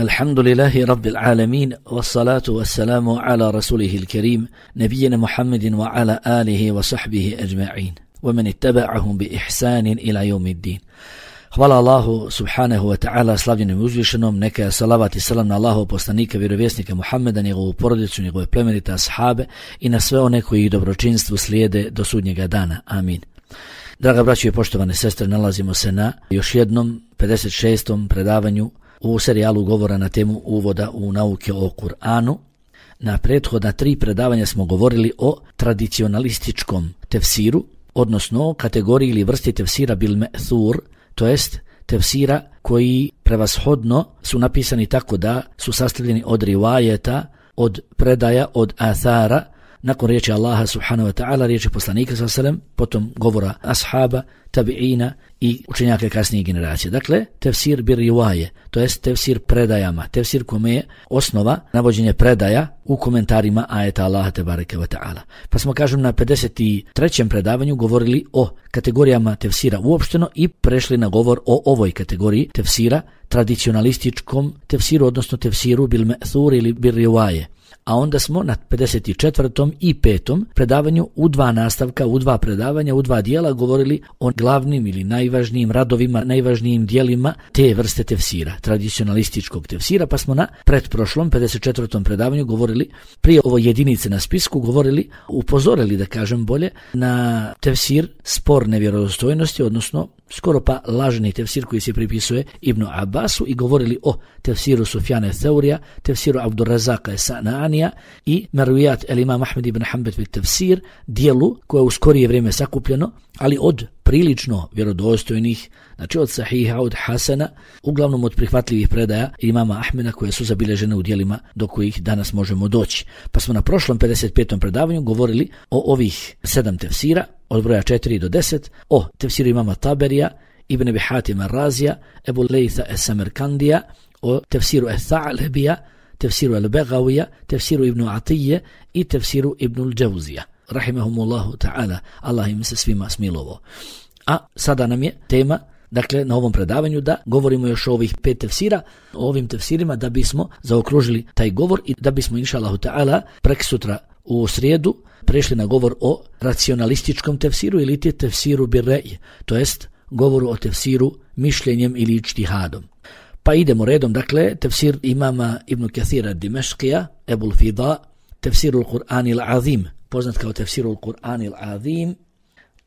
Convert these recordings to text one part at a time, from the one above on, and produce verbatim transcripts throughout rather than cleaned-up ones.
الحمد لله رب العالمين والصلاة والسلام على رسوله الكريم نبينا محمد وعلى آله وصحبه أجمعين ومن اتبعهم بإحسان إلى يوم الدين. Hvala Allahu subhanahu wa ta'ala, slavljenom i uzvišenom, neka je salavat i salam na Allahov poslanika, vjerovjesnika Muhammeda, njegovu porodicu, njegove plemenite ashabe i na sve one koji ih dobročinstvu slijede do sudnjega dana. Amin. Draga braćo i poštovane sestre, nalazimo se na još jednom pedeset šestom predavanju u serijalu govora na temu uvoda u nauke o Kur'anu. Na prethodna tri predavanja smo govorili o tradicionalističkom tefsiru, odnosno kategoriji ili vrsti tefsira bil me'thur, to jest tefsira koji prevashodno su napisani tako da su sastavljeni od rivajeta, od predaja, od athara, nakon riječi Allaha subhanahu wa ta'ala, riječi poslanika sallallahu alejhi ve sellem, potom govora ashaba, tabi'ina i učenjaka kasnije generacije. Dakle, tefsir bir rivaje, to jest tefsir predajama, tefsir kome je osnova navođenje predaja u komentarima ajeta Allaha tebareke ve ta'ala. Pa smo, kažem, na pedeset trećem predavanju govorili o kategorijama tefsira uopšteno i prešli na govor o ovoj kategoriji tefsira, tradicionalističkom tefsiru, odnosno tefsiru bil me'thur ili bir rivaje. A onda smo na pedeset četvrtom i petom predavanju u dva nastavka, u dva predavanja, u dva dijela govorili o glavnim ili najvažnijim radovima, najvažnijim dijelima te vrste tefsira, tradicionalističkog tefsira, pa smo na pretprošlom pedeset četvrtom predavanju govorili, prije ovo jedinice na spisku, govorili, upozorili, da kažem bolje, na tefsir sporne vjerodostojnosti, odnosno skoro pa lažni tefsir koji se pripisuje Ibnu Abbasu, i govorili o tefsiru Sufjana Theurija, tefsiru Abdurrazaka Sananija i Marvijat el Imam Ahmed ibn Hanbal bit tefsir, dijelu koje u skorije vrijeme sakupljeno, ali od prilično vjerodostojnih, znači od sahiha, od hasana, uglavnom od prihvatljivih predaja imama Ahmeda koje su zabilježene u dijelima do kojih danas možemo doći. Pa smo na prošlom pedeset petom predavanju govorili o ovih sedam tefsira, od broja četiri do deset, o tefsiru imama Taberija, Ibn Abi Hatim ar-Razija, Ebu Lejtha es-Samarkandija, o tefsiru es-Tha'lebija, tefsiru el-Begavija, tefsiru Ibnu Atije i tefsiru Ibnu al-Džavzija. Rahimahumullahu ta'ala, Allah im se svima smilovo. A sada nam je tema, dakle, na ovom predavanju da govorimo još o ovih pet tefsira, o ovim tefsirima, da bismo zaokružili taj govor i da bismo, inša Allahu ta'ala, preksutra u srijedu prešli na govor o racionalističkom tefsiru ili ti tefsiru bir rej, to jest govoru o tefsiru mišljenjem ili ičtihadom. Pa idemo redom, dakle, tefsir imama Ibn Kathira Dimeškija, Ebul Fida, tefsiru Kur'an al-Azim, poznat kao tefsiru Kur'an al-Azim.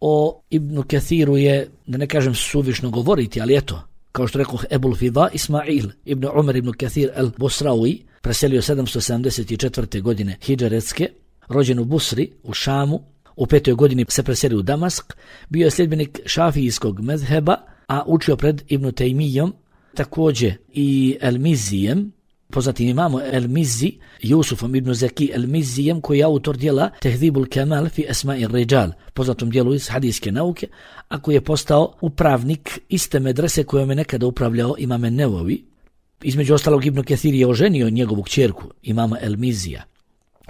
O Ibn Kathiru je, da ne kažem suvišno govoriti, ali eto, kao što rekao Ebul Fida, Ismail ibn Umar ibn Kathir al-Busrawi, preselio sedamsto sedamdeset četvrte godine hidžretske, rođen u Busri, u Šamu, u petoj godini se preselio u Damask, bio je sljedbenik šafijskog mezheba, a učio pred Ibn Tejmijom, također i El-Mizijem, poznatim imamo El-Mizi, Jusufom ibn Zaki El-Mizijem, koji je autor dijela Tehdibul Kemal fi Esma'i Rijal, poznatom dijelu iz hadijske nauke, a koji je postao upravnik iste medrese kojom je nekada upravljao imame Nevovi. Između ostalog, Ibn Kathir je oženio njegovu kćerku, imama El-Mizija.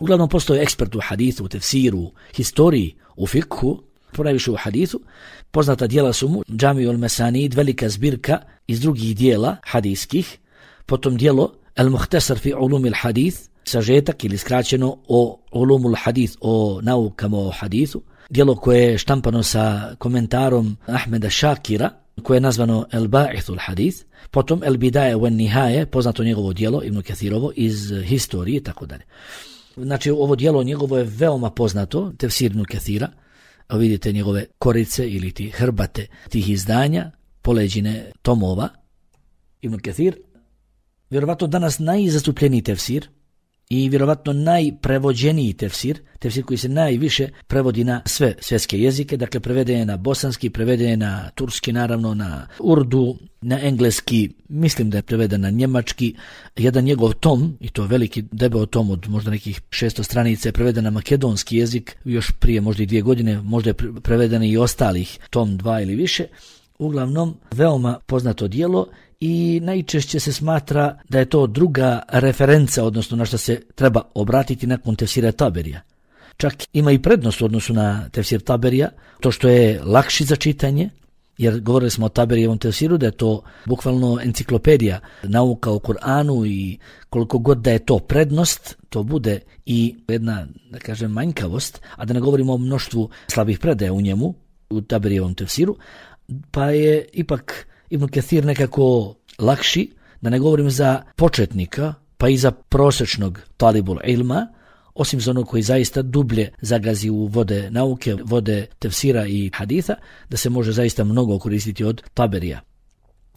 Uglavnom postao je ekspert u hadithu, u tefsiru, historiji, u fikhu, ponajviše u hadithu. Poznata dijela su mu Džamiul Mesanid, velika zbirka iz drugih dijela hadijskih, potom dijelo El-Muhtasar fi ulumil hadith, sažetak ili skraćeno o ulumul hadith, o naukama o hadithu, dijelo koje je štampano sa komentarom Ahmeda Šakira, koje je nazvano El-Ba'ithul hadith, potom El-Bidaje wan Nihaje, poznato njegovo dijelo, Ibn Kathirovo, iz historije, tako dalje. Znači, ovo dijelo njegovo je veoma poznato, tefsir Ibn Kathira, a vidite njegove korice ili ti hrbate tih izdanja, poleđine tomova. Ibn Kathir, vjerovatno danas najzastupljeniji tefsir i vjerovatno najprevođeniji tefsir, tefsir koji se najviše prevodi na sve svjetske jezike, dakle preveden je na bosanski, preveden je na turski, naravno na urdu, na engleski, mislim da je preveden na njemački. Jedan njegov tom, i to veliki debeo tom od možda nekih šesto stranica, je preveden na makedonski jezik još prije možda i dvije godine, možda je preveden i ostalih tom dva ili više. Uglavnom, veoma poznato dijelo i najčešće se smatra da je to druga referenca, odnosno na što se treba obratiti nakon tefsira Taberija. Čak ima i prednost u odnosu na tefsir Taberija, to što je lakši za čitanje, jer govorili smo o Taberijevom tefsiru da je to bukvalno enciklopedija nauka o Kur'anu i koliko god da je to prednost, to bude i jedna, da kažem, manjkavost, a da ne govorimo o mnoštvu slabih predaja u njemu, u Taberijevom tefsiru, pa je ipak Ibn Kathir nekako lakši, da ne govorim za početnika, pa i za prosječnog talibul ilma, osim za onog koji zaista dublje zagazi u vode nauke, vode tefsira i haditha, da se može zaista mnogo koristiti od Taberija.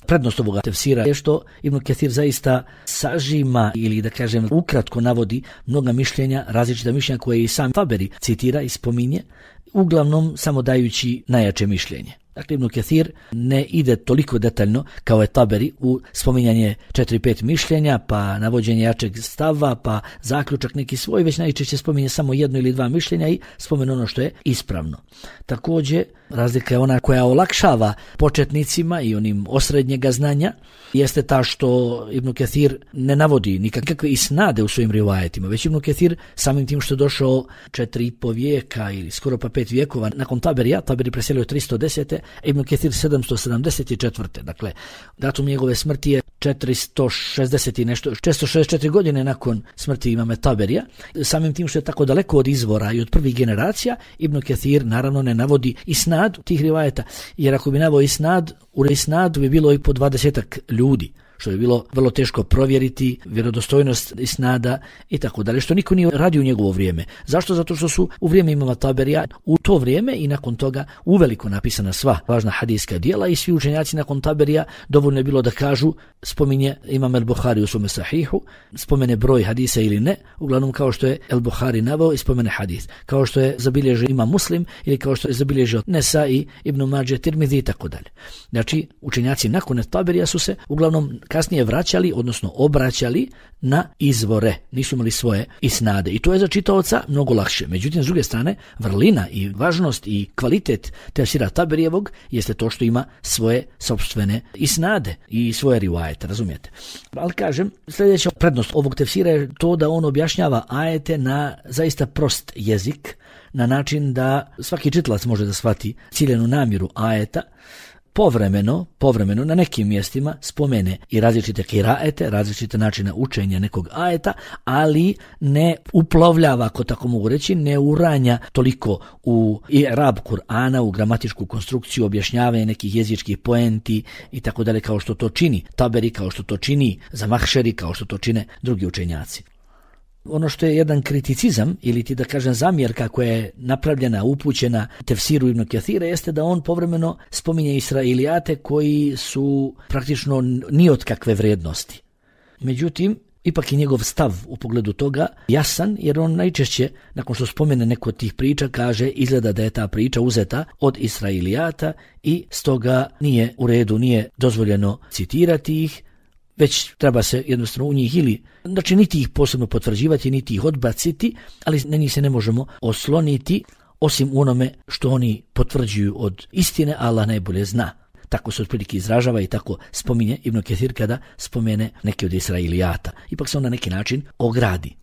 Prednost ovoga tefsira je što Ibn Kathir zaista sažima ili da kažem ukratko navodi mnoga mišljenja, različita mišljenja koje i sam Taberi citira i spominje, uglavnom samo dajući najjače mišljenje. Dakle, Ibn Kathir ne ide toliko detaljno kao je Taberi u spominjanje četiri pet mišljenja, pa navođenje jačeg stava, pa zaključak neki svoj, već najčešće spominje samo jedno ili dva mišljenja i spomene ono što je ispravno. Također, razlika je ona koja olakšava početnicima i onim osrednjega znanja, jeste ta što Ibn Kathir ne navodi nikakve isnade u svojim rivajetima, već Ibn Kathir samim tim što je došao četiri i po vijeka ili skoro pa pet vijekova nakon Taberija, Taberi preselio tristo desete, Ibn Kathir sedamsto sedamdeset četvrte. Dakle, datum njegove smrti je četiristo šezdeset i nešto, četiristo šezdeset četiri godine nakon smrti imame Taberija. Samim tim što je tako daleko od izvora i od prvih generacija, Ibn Kathir naravno ne navodi isnad tih rivajeta, jer ako bi naveo isnad, u isnadu bi bilo i po dvadesetak ljudi, što je bilo vrlo teško provjeriti vjerodostojnost isnada i tako dalje, što niko nije radio u njegovo vrijeme. Zašto? Zato što su u vrijeme imama Taberija u to vrijeme i nakon toga uveliko napisana sva važna hadijska djela i svi učenjaci nakon Taberija dovoljno je bilo da kažu, spominje imam el-Buhari u svome sahihu, spomene broj hadisa ili ne, uglavnom kao što je el-Buhari naveo i spomene hadis, kao što je zabilježio imam Muslim ili kao što je zabilježio Nesa i Ibn Mađe, Tirmidhi i tako dalje. Znači, učenjaci nakon Taberija su se uglavnom kasnije vraćali, odnosno obraćali na izvore, nisu imali svoje isnade i to je za čitaoca mnogo lakše. Međutim, s druge strane, vrlina i važnost i kvalitet tefsira Taberijevog jeste to što ima svoje sopstvene isnade i svoje rivajete, razumijete. Ali kažem, sljedeća prednost ovog tefsira je to da on objašnjava ajete na zaista prost jezik, na način da svaki čitalac može da shvati ciljenu namjeru ajeta. Povremeno, povremeno na nekim mjestima spomene i različite kiraete, različite načine učenja nekog ajeta, ali ne uplovljava, ako tako mogu reći, ne uranja toliko u i'rab Kur'ana, u gramatičku konstrukciju, objašnjavanje nekih jezičkih poenti i tako dalje, kao što to čini Taberi, kao što to čini Zamahšeri, kao što to čine drugi učenjaci. Ono što je jedan kriticizam ili ti da kažem zamjerka koja je napravljena, upućena tefsiru Ibn Kathira jeste da on povremeno spominje Israilijate koji su praktično ni od kakve vrijednosti. Međutim, ipak je njegov stav u pogledu toga jasan, jer on najčešće, nakon što spomene neko od tih priča, kaže izgleda da je ta priča uzeta od Israilijata i stoga nije u redu, nije dozvoljeno citirati ih, već treba se jednostavno u njih ili, znači niti ih posebno potvrđivati, niti ih odbaciti, ali na njih se ne možemo osloniti, osim u onome što oni potvrđuju od istine, Allah najbolje zna. Tako se otprilike izražava i tako spominje Ibn Kathir kada spomene neke od Israilijata. Ipak se on na neki način ogradi.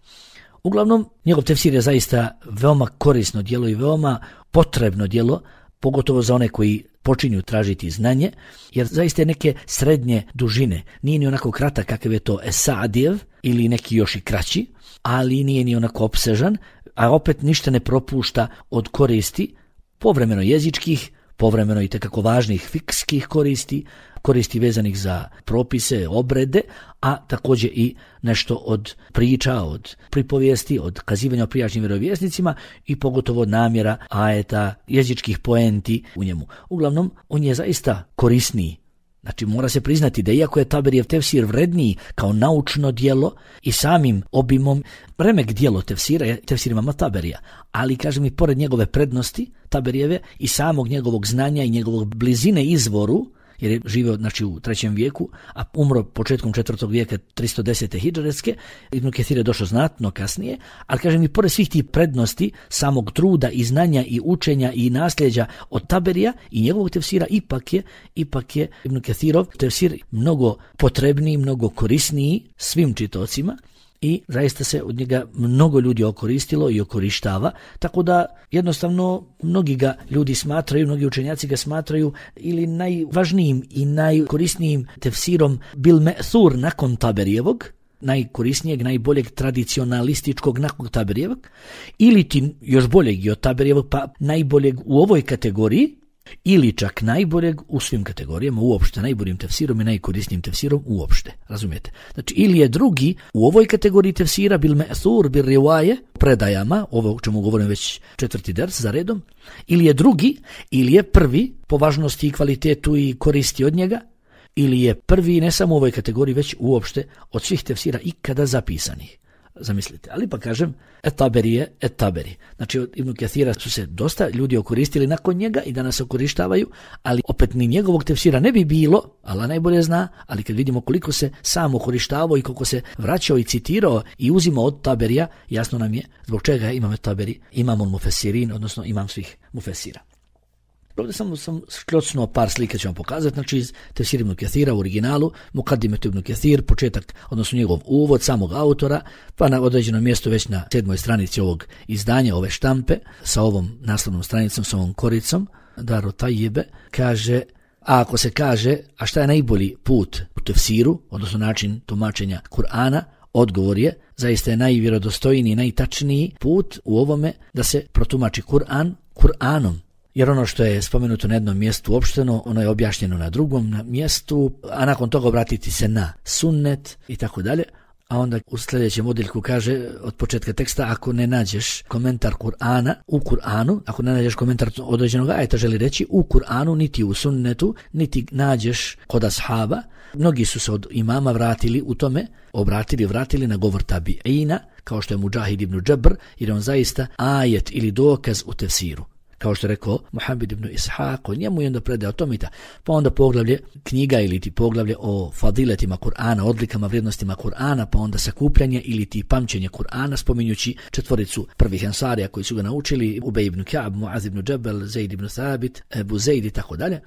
Uglavnom, njegov tefsir je zaista veoma korisno djelo i veoma potrebno djelo, pogotovo za one koji počinju tražiti znanje, jer zaista je neke srednje dužine. Nije ni onako kratak kakav je to Esadijev ili neki još i kraći, ali nije ni onako opsežan, a opet ništa ne propušta od koristi, povremeno jezičkih, povremeno i tekako važnih fikskih koristi, koristi vezanih za propise, obrede, a također i nešto od priča, od pripovijesti, od kazivanja o prijašnjim vjerovjesnicima i pogotovo od namjera, ajeta, jezičkih poenti u njemu. Uglavnom, on je zaista korisniji. Znači, mora se priznati da iako je Taberijev tefsir vredniji kao naučno djelo i samim obimom, remek djelo tefsira je tefsir imama Taberija, ali kažem i pored njegove prednosti Taberijeve i samog njegovog znanja i njegovog blizine izvoru, jer je živio znači, u trećem vijeku, a umro početkom četvrtog vijeka tristo desete hidžretske, Ibn Kathir je došao znatno kasnije, ali kažem i pored svih tih prednosti samog truda i znanja i učenja i nasljeđa od Taberija i njegovog tefsira, ipak je, ipak je Ibn Kathirov tefsir mnogo potrebniji, mnogo korisniji svim čitocima i zaista se od njega mnogo ljudi okoristilo i okorištava, tako da jednostavno mnogi ga ljudi smatraju, mnogi učenjaci ga smatraju ili najvažnijim i najkorisnijim tefsirom bil me'thur nakon Taberijevog, najkorisnijeg, najboljeg tradicionalističkog nakon Taberijevog, ili ti još boljeg i od Taberijevog, pa najboljeg u ovoj kategoriji, ili čak najboljeg u svim kategorijama, uopšte najboljim tefsirom i najkorisnijim tefsirom uopšte, razumijete? Znači, ili je drugi u ovoj kategoriji tefsira bil me'thur, bil rivaje, predajama, ovo o čemu govorim već četvrti ders za redom, ili je drugi, ili je prvi po važnosti i kvalitetu i koristi od njega, ili je prvi ne samo u ovoj kategoriji, već uopšte od svih tefsira ikada zapisanih. Zamislite, ali pa kažem, et-Taberi je et-Taberi. Znači, od Ibn Kathira su se dosta ljudi okoristili nakon njega i danas se okorištavaju, ali opet ni njegovog tefsira ne bi bilo, Allah najbolje zna, ali kad vidimo koliko se sam okorištavao i koliko se vraćao i citirao i uzimao od Taberija, jasno nam je zbog čega imam et-Taberi, imam al-Mufessirin, odnosno imam svih mufessira. Ovdje samo sam šklocnuo par slike ću vam pokazati, znači iz Tefsir Ibn Kathira u originalu, Muqaddimet Ibn Kathir, početak, odnosno njegov uvod samog autora, pa na određenom mjestu već na sedmoj stranici ovog izdanja, ove štampe, sa ovom naslovnom stranicom, sa ovom koricom, Daru Tajjebe, kaže, a ako se kaže, a šta je najbolji put u tefsiru, odnosno način tumačenja Kur'ana, odgovor je, zaista je najvjerodostojniji, najtačniji put u ovome da se protumači Kur'an Kur'anom. Jer ono što je spomenuto na jednom mjestu uopšteno, ono je objašnjeno na drugom na mjestu, a nakon toga obratiti se na sunnet i tako dalje. A onda u sljedećem odjeljku kaže od početka teksta, ako ne nađeš komentar Kur'ana u Kur'anu, ako ne nađeš komentar određenog ajeta, želi reći u Kur'anu, niti u sunnetu, niti nađeš kod ashaba. Mnogi su se od imama vratili u tome, obratili, vratili na govor tabi'ina, kao što je Mujahid ibn Džabr, jer on zaista ajet ili dokaz u tefsiru. Kao što je rekao Muhammed ibn Ishaq, o njemu i onda predaje o tomita, pa onda poglavlje knjiga ili ti poglavlje o fadiletima Kur'ana, odlikama, vrijednostima Kur'ana, pa onda sakupljanje ili ti pamćenje Kur'ana, spominjući četvoricu prvih ensarija koji su ga naučili, Ubej ibn Ka'b, Muaz ibn Džabel, Zaid ibn Thabit, Ebu Zaid i tako dalje.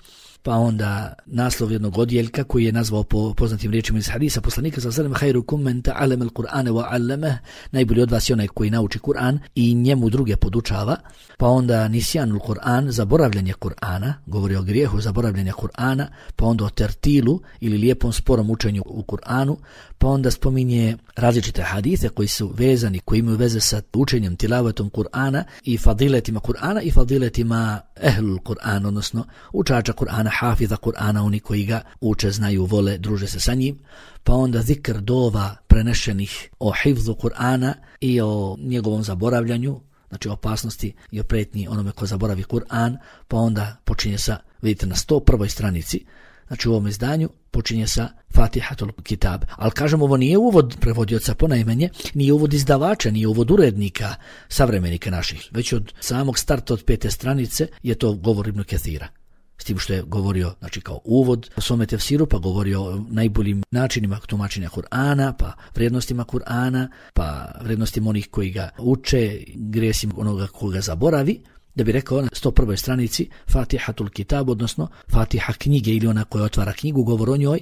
Pa onda naslov jednog odjeljka koji je nazvao po poznatim riječima iz hadisa poslanika sallallahu alejhi ve sellem, khairukum man ta'allama al-Qur'ana wa 'allamah, najbolji od vas je onaj koji nauči Kur'an i njemu druge podučava. Pa onda nisjanul Kur'an, zaboravljanje Kur'ana, govori o grijehu zaboravljanja Kur'ana, pa onda o tertilu ili lijepom sporom učenju u Kur'anu, pa onda spominje različite hadise koji su vezani, koji imaju veze sa učenjem, tilavetom Kur'ana i fadiletima Kur'ana i fadiletima ehlul Kur'an, odnosno učača Kur'ana, hafiza Kur'ana, oni koji ga uče, znaju, vole, druže se sa njim. Pa onda zikr dova prenešenih o hifzu Kur'ana i o njegovom zaboravljanju, znači opasnosti i o pretnji onome ko zaboravi Kur'an, pa onda počinje sa, vidite na sto prvoj stranici, znači u ovom izdanju počinje sa Fatihatul Kitab. Ali kažem, ovo nije uvod prevodioca ponajmenje, nije uvod izdavača, nije uvod urednika, savremenika naših, već od samog starta od pete stranice je to govor Ibn Kathira. S tim što je govorio, znači kao uvod o svome tefsiru, pa govorio o najboljim načinima tumačenja Kur'ana, pa vrijednostima Kur'ana, pa vrijednostima onih koji ga uče, grijesima onoga koga zaboravi, da bi rekao na sto prvoj stranici Fatihatul Kitab, odnosno Fatiha knjige ili ona koja otvara knjigu, govor o njoj,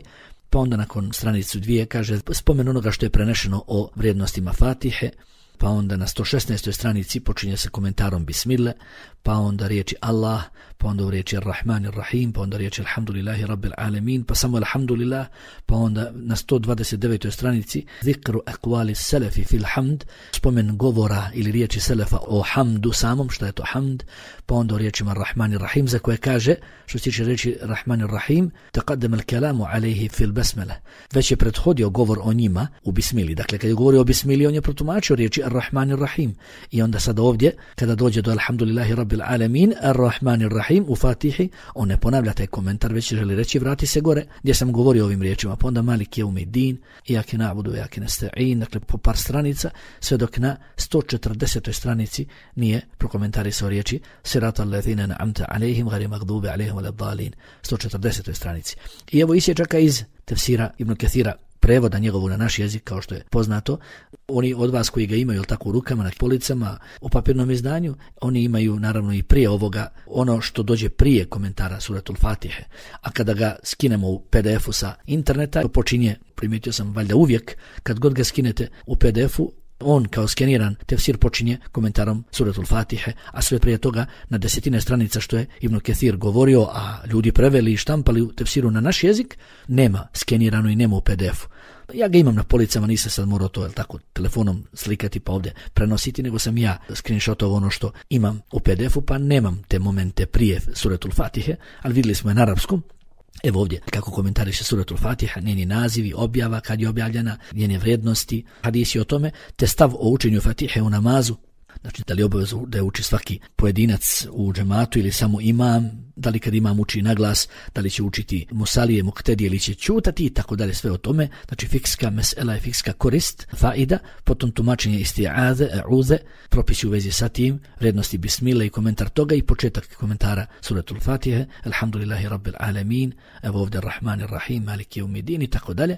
pa onda nakon stranicu dvije kaže spomen onoga što je prenešeno o vrijednostima Fatihe, pa onda na sto šesnaestoj stranici počinje se komentarom Bismillah, pa onda riječi Allah, pa onda u riječi Ar-Rahman Ar-Rahim, pa onda riječi Alhamdulillahi Rabbil Alamin, pa samo Alhamdulillah, pa onda na sto dvadeset devetoj stranici Zikru Aqwali Selefi fil Hamd, spomen govora ili riječi Selefa o hamdu samom, šta je to hamd, pa onda u riječima Ar-Rahman Ar-Rahim, za koje kaže, što se tiče riječi Ar-Rahman Ar-Rahim, taqaddama al-kalamu alayhi fil basmala, već je prethodio govor o njima u Bismili. Dakle, kad je govorio o Bismili, on je protumačio riječi Ar-Rahman Ar-Rahim. I onda sad ovdje, kada dođe do Alhamdulillahi Rabbil Alamin, Ar-Rahman Ar-Rahim u Fatihi, on ne ponavlja taj komentar, već želi reći vrati se gore, gdje sam govorio ovim riječima, pa onda Malik Yawmiddin, Iyake na'budu wa iyake nasta'in, dakle po par stranica, sve dok na sto četrdesetoj stranici nije prokomentarisao riječi Siratal ladzina an'amta alejhim ghayril maghdubi alejhim waladdallin, sto četrdesetoj stranici. I evo isječaka iz tefsira Ibn Kathira prevoda njegovog na naš jezik, kao što je poznato. Oni od vas koji ga imaju, jel tako, u rukama, na policama, u papirnom izdanju, oni imaju naravno i prije ovoga ono što dođe prije komentara Suratul Fatihe. A kada ga skinemo u P D F-u sa interneta, to počinje, primijetio sam valjda uvijek, kad god ga skinete u P D F-u, on kao skeniran tefsir počinje komentarom Suratul Fatihe, a sve prije toga na desetine stranica što je Ibn Kathir govorio, a ljudi preveli i štampali u tefsiru na naš jezik, nema skenirano i nema u P D F-u. Ja ga imam na policama, nisam sad morao to, jel tako, telefonom slikati pa ovdje prenositi, nego sam ja screenshotovao ono što imam u P D F-u, pa nemam te momente prije Suratul Fatihe, ali vidjeli smo je na arapskom. Evo ovdje kako komentariše Suratul Fatiha, njeni nazivi, objava, kad je objavljena, njene vrijednosti, hadisi o tome, te stav o učenju Fatihe u namazu. Znači, da li je obavezno da je uči svaki pojedinac u džematu ili samo imam, da li kad imam uči na glas, da li će učiti musalije, muktedije ili će čutati i tako dalje, sve o tome. Znači, fikska mesela je fikska korist, faida, potom tumačenje isti'aze, a'uze, propisi u vezi sa tim, vrijednosti bismila i komentar toga i početak komentara Suratul Fatihe, alhamdulillahi rabbil alamin, evo ovdje Rahman Rahim, Maliki Yawmiddin i tako dalje.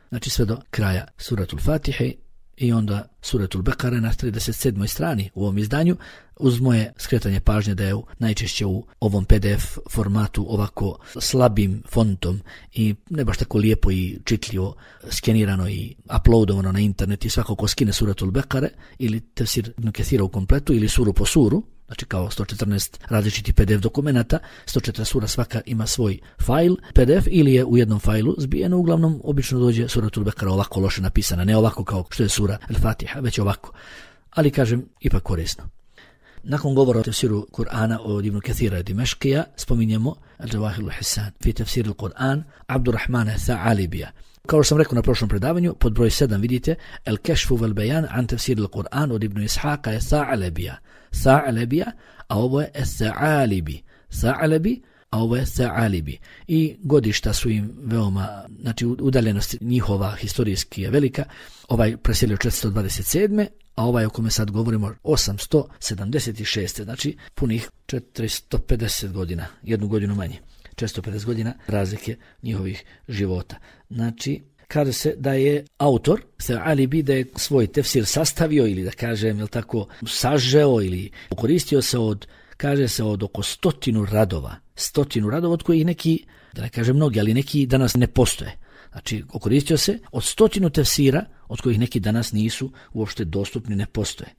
Znači, sve do kraja Suratul Fatihe. I onda Suratul Bekare na trideset sedmoj strani u ovom izdanju, uz moje skretanje pažnje da je u, najčešće u ovom P D F formatu ovako slabim fontom i ne baš tako lijepo i čitljivo skenirano i uploadovano na internet, i svako ko skine Suratul Bekare ili tefsir Ibn Kathira u kompletu ili suru po suru, znači kao sto četrnaest različitih P D F dokumenata, sto četrnaest sura svaka ima svoj fajl P D F ili je u jednom fajlu zbijeno, uglavnom obično dođe Suratul Bekara ovako loše napisana, ne ovako kao što je sura Al-Fatiha, već ovako. Ali kažem, ipak korisno. Nakon govora o tefsiru Kur'ana od Ibn Kathira Dimeškija, spominjemo Al-Jawahir al-Hisan fi tefsir al-Kur'an Abdurrahmana Tha'alibija. Kao što sam rekao na prošlom predavanju, pod broj sedam vidite El-Kešfu vel-Bejan an tefsir al-Kur'an od Ibn Ishaqa je Tha'alibija. Tha'alibija, a ovo je Tha'alibi. Tha'alibi, a ovo je Tha'alibi. I godišta su im veoma, znači udaljenost njihova historijski je velika. Ovaj preselio četiristo dvadeset sedme a ovaj o kome sad govorimo osamsto sedamdeset šeste znači punih četiristo pedeset godina, jednu godinu manje. četiristo pedeset godina razlike njihovih života. Znači, kaže se da je autor Tha'alibi da je svoj tefsir sastavio ili da kažem, jel tako, sažeo ili koristio se od, kaže se od oko stotinu radova. Stotinu radova od kojih neki, da ne kažem mnogi, ali neki danas ne postoje. Znači, koristio se od stotinu tefsira od kojih neki danas nisu uopšte dostupni, ne postoje.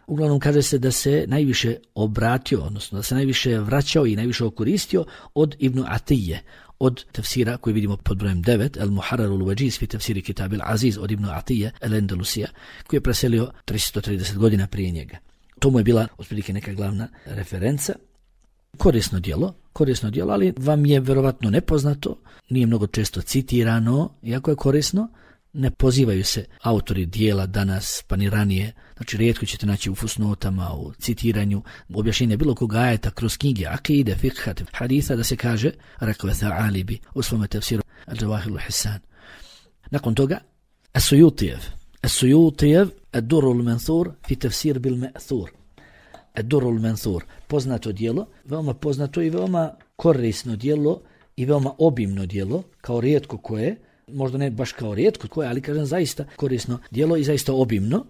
Uglavnom kaže se da se najviše obratio, odnosno da se najviše vraćao i najviše okoristio od Ibn Atije, od tefsira koji vidimo pod brojem devet, El-Muharrar ul-Wajiz fi tefsiri Kitab al-Aziz od Ibn Atije, El-Endelusija, koji je preselio tristo trideset godina prije njega. To mu je bila otprilike neka glavna referenca. Korisno djelo, korisno djelo, ali vam je verovatno nepoznato, nije mnogo često citirano, iako je korisno. Ne pozivaju se autori dijela danas, pa ni ranije, znači rijetko ćete naći u fusnotama, u citiranju, objašnjenja bilo koga ajeta kroz knjige, akide, fikha, haditha, da se kaže, rekao je Tha'alibi u svome tefsiru Al-Jawahir al-Hisan. Nakon toga, As-Suyutijev, As-Suyutijev, Ad-Durr al-Manthur fi tefsir bil-Ma'thur. Ad-Durr al-Manthur, poznato djelo, veoma poznato i veoma korisno djelo i veoma obimno djelo, kao rijetko koje, možda ne baš kao rijetko koje, ali kažem zaista korisno djelo i zaista obimno.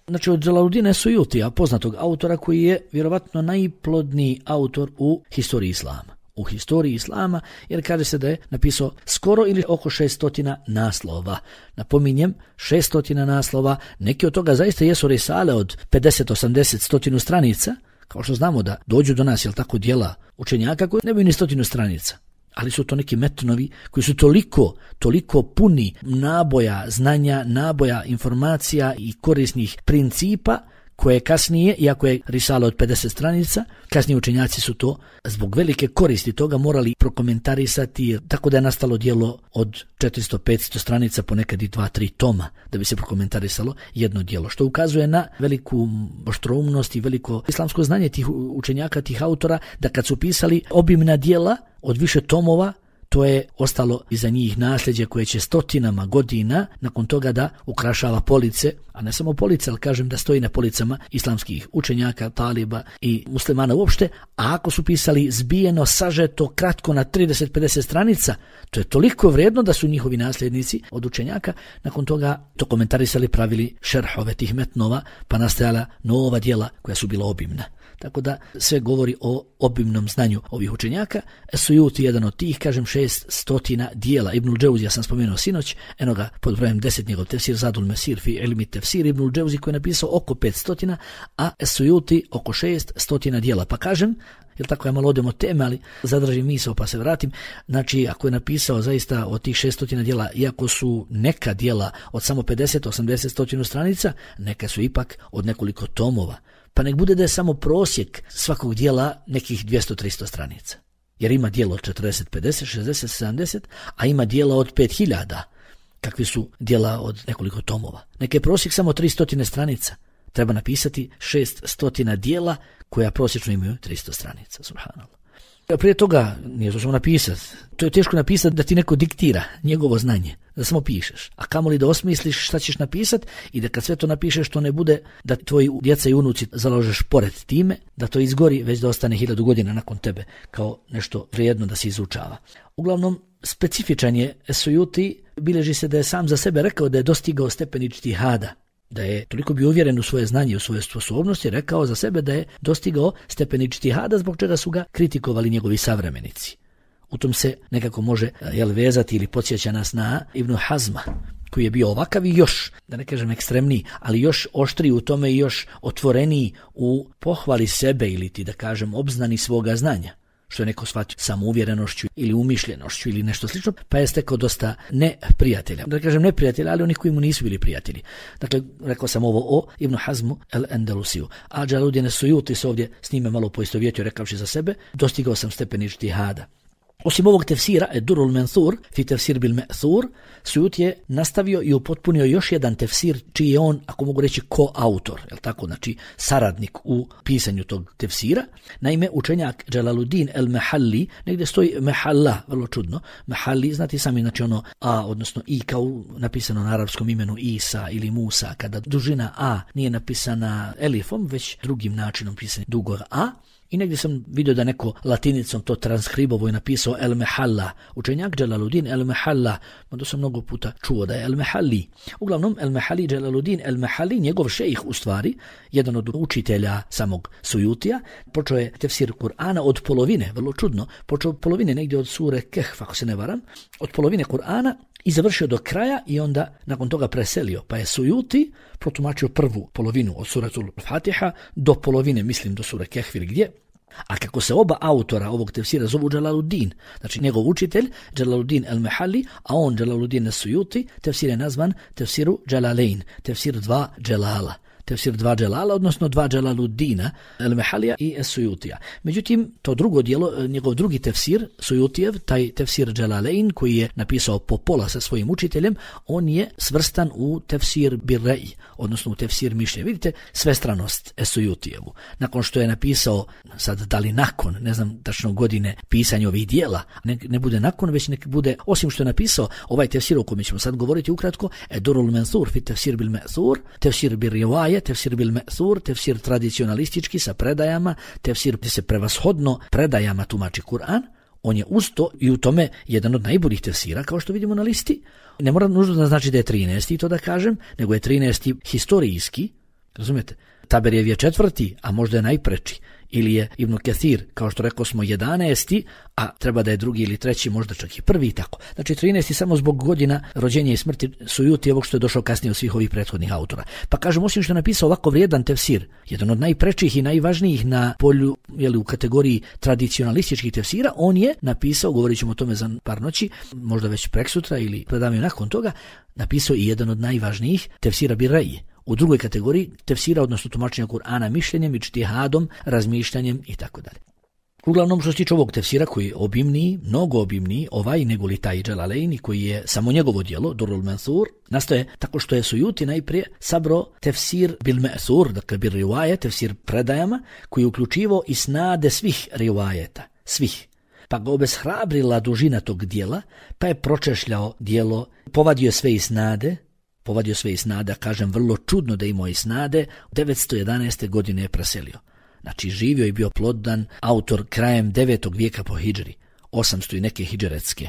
Znači od Džalaluddina Suyutija, poznatog autora koji je vjerovatno najplodniji autor u historiji islama. U historiji islama, jer kaže se da je napisao skoro ili oko šestotina naslova. Napominjem, šestotina naslova, neki od toga zaista jesu risale od pedeset, osamdeset, stotinu stranica, kao što znamo da dođu do nas, jel tako, djela učenjaka koji nemaju ni stotinu stranica. Ali su to neki metnovi koji su toliko, toliko puni naboja znanja, naboja informacija i korisnih principa, koje kasnije, iako je risala od pedeset stranica, kasnije učenjaci su to zbog velike koristi toga morali prokomentarisati, tako da je nastalo djelo od četiristo do petsto stranica, ponekad i dva tri toma, da bi se prokomentarisalo jedno djelo, što ukazuje na veliku oštroumnost i veliko islamsko znanje tih učenjaka, tih autora, da kad su pisali obimna djela od više tomova, to je ostalo iza njih nasljeđe koje će stotinama godina nakon toga da ukrašava police, a ne samo police, ali kažem da stoji na policama islamskih učenjaka, taliba i muslimana uopšte, a ako su pisali zbijeno, sažeto, kratko na trideset do pedeset stranica, to je toliko vrijedno da su njihovi nasljednici od učenjaka nakon toga to komentarisali, pravili šerhove tih metnova, pa nastajala nova djela koja su bila obimna. Tako da sve govori o obimnom znanju ovih učenjaka. Sujuti jedan od tih, kažem, šest stotina dijela. Ibnul Džauzi, ja sam spomenuo sinoć, eno ga pod brojem deset, njegov tefsir Zadul Mesir fi ilmi tefsir, Ibnul Džauzi koji je napisao oko pet stotina, a Sujuti oko šest stotina dijela. Pa kažem, jer tako ja malo odem od teme, ali zadržim misao pa se vratim. Znači, ako je napisao zaista od tih šest stotina dijela, iako su neka dijela od samo pedeset, osamdeset, sto stranica, neka su ipak od nekoliko tomova. Pa nek bude da je samo prosjek svakog dijela nekih dvjesto do tristo stranica. Jer ima dijelo od četrdeset, pedeset, šezdeset, sedamdeset, a ima dijela od pet hiljada, kakvi su dijela od nekoliko tomova. Nek je prosjek samo tristo stranica. Treba napisati šest stotina dijela koja prosječno imaju tristo stranica. Subhanallah. Prije toga nije to samo napisati. To je teško napisati da ti neko diktira njegovo znanje, da samo pišeš. A kamoli da osmisliš šta ćeš napisati i da kad sve to napišeš to ne bude da tvoji djeca i unuci založeš pored time, da to izgori, već da ostane hiljadu godina nakon tebe kao nešto vrijedno da se izučava. Uglavnom, specifičan je Sujuti, bilježi se da je sam za sebe rekao da je dostigao stepen iđtihada, da je toliko bio uvjeren u svoje znanje i u svoje sposobnosti, rekao za sebe da je dostigao stepen iđtihada, zbog čega su ga kritikovali njegovi savremenici. U tom se nekako može jel, vezati ili podsjeća nas na Ibn Hazma, koji je bio ovakav i još, da ne kažem ekstremniji, ali još oštriji u tome i još otvoreniji u pohvali sebe ili ti da kažem obznani svoga znanja, što je neko shvatio samouvjerenošću ili umišljenošću ili nešto slično, pa je stekao dosta neprijatelja. Da kažem neprijatelja, ali onih koji mu nisu bili prijatelji. Dakle, rekao sam ovo o Ibn Hazmu el-Endelusiju. A Džalaluddin Sujuti se ovdje s njime malo poistovjetio rekavši za sebe, dostigao sam stepen iđtihada. Osim ovog tefsira, Ed-Durrul Mansur, fi tefsir bil Ma'thur, Sujuti je nastavio i upotpunio još jedan tefsir, čiji je on, ako mogu reći, koautor, je tako, znači saradnik u pisanju tog tefsira. Naime, učenjak Džalaluddin el-Mahalli, negdje stoji Mahalla, vrlo čudno, Mahalli, znate sami, znači ono A, odnosno I, kao napisano na arapskom imenu Isa ili Musa, kada dužina A nije napisana elifom, već drugim načinom pisanja dugog A. I negdje sam vidio da neko latinicom to transkribovo je napisao El Mahalla. Učenjak Džalaluddin El Mahalla, onda sam mnogo puta čuo da je El Mahalli. Uglavnom, El Mahalli, Džalaluddin El Mahalli, njegov šejih u stvari, jedan od učitelja samog Sujutija, počeo je tefsir Kur'ana od polovine, vrlo čudno, počeo od polovine negdje od sure Kehf, ako se ne varam, od polovine Kur'ana i završio do kraja i onda nakon toga preselio. Pa je Sujuti protumačio prvu polovinu od suratul Fatiha do polovine, mislim do sure Kehf ili gdje. A kako se oba autora ovog tefsira zovu Džalaluddin, znači njegov učitelj Džalaluddin el-Mahalli, a on Džalaluddin el-Sujuti, tefsir je nazvan tefsiru Džalalein, tefsir dva Dželala. Tefsir dva Dželala, odnosno dva Džalaluddina, el-Mahalija i es-Sujutija. Međutim, to drugo dijelo, njegov drugi tefsir, Sujutijev, taj tefsir Džalalein, koji je napisao po pola sa svojim učiteljem, on je svrstan u tefsir Birrej, odnosno u tefsir mišljenja. Vidite svestranost es-Sujutijevu. Nakon što je napisao, sad da li nakon, ne znam tačno godine pisanja ovih dijela, ne, ne bude nakon, već nek bude, osim što je napisao ovaj tefsir o kome ćemo sad govoriti ukratko, Ed-Durrul Mansur fi tefsir bil Ma'thur, tefsir bil Rivaje, tefsir bil Ma'thur, tefsir tradicionalistički sa predajama, tefsir gdje se prevashodno predajama tumači Kur'an. On je usto i u tome jedan od najboljih tefsira, kao što vidimo na listi. Ne mora nužno da znači da je trinaesti, to da kažem, nego je trinaesti historijski, razumijete? Taberjev je četvrti, a možda je najpreči. Ili je Ibn Kathir, kao što rekao smo, jedanaesti, a treba da je drugi ili treći, možda čak i prvi i tako. Znači trinaesti samo zbog godina rođenja i smrti Sujutijevog što je došao kasnije od svih ovih prethodnih autora. Pa kažem, osim što je napisao ovako vrijedan tefsir, jedan od najprečih i najvažnijih na polju, jeli, u kategoriji tradicionalističkih tefsira, on je napisao, govorit ćemo o tome za par noći, možda već preksutra ili predavanje nakon toga, napisao i jedan od najvažnijih tefsira Birrej. U drugoj kategoriji tefsira, odnosno tumačenja Kur'ana mišljenjem, iđtihadom, razmišljanjem i tako dalje. Uglavnom, što se tiče ovog tefsira koji je obimniji, mnogo obimniji, ovaj nego li taj Džalaleini koji je samo njegovo djelo, Durrul Mansur, nastoje tako što je Sujuti najprije sabro tefsir bil Ma'thur, dakle bil rivaje, tefsir predajama, koji je uključivo i snade svih rivajeta, svih. pa ga obeshrabrila dužina tog dijela, pa je pročešljao dijelo, povadio sve isnade, povadio sve isnade, kažem vrlo čudno da imao isnade, devetsto jedanaeste godine je preselio. Znači živio i bio plodan autor krajem devetog vijeka po hidžri, osamsto i neke hidžretske.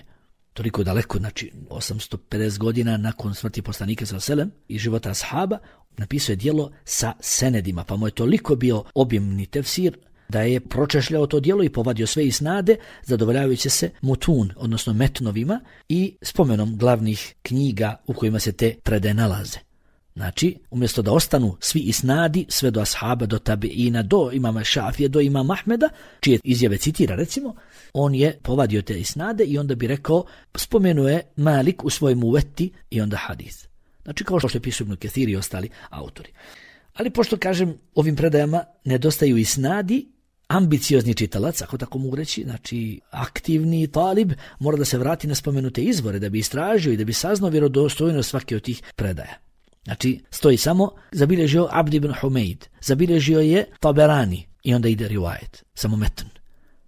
Toliko daleko, znači osamsto pedeset godina nakon smrti poslanika sallallahu alejhi ve sellem i života ashaba, napisao je djelo sa senedima, pa mu je toliko bio obimni tefsir da je pročešljao to djelo i povadio sve isnade, zadovoljavajući se mutun, odnosno metnovima i spomenom glavnih knjiga u kojima se te predaje nalaze. Znači, umjesto da ostanu svi isnadi, sve do ashaba, do tabiina, do imama Šafije, do imama Ahmeda, čije izjave citira recimo, on je povadio te isnade i onda bi rekao, spomenuje Malik u svojim uveti i onda hadis. Znači, kao što je pisao Ibn Kathir i ostali autori. Ali pošto, kažem, ovim predajama nedostaju isnadi, ambiciozni čitalac, ako tako mogu reći, znači aktivni talib, mora da se vrati na spomenute izvore, da bi istražio i da bi saznao vjerodostojnost svake od tih predaja. Znači, stoji samo, zabilježio Abd ibn Humeid, zabilježio je Taberani i onda ide rivajet, samo metn.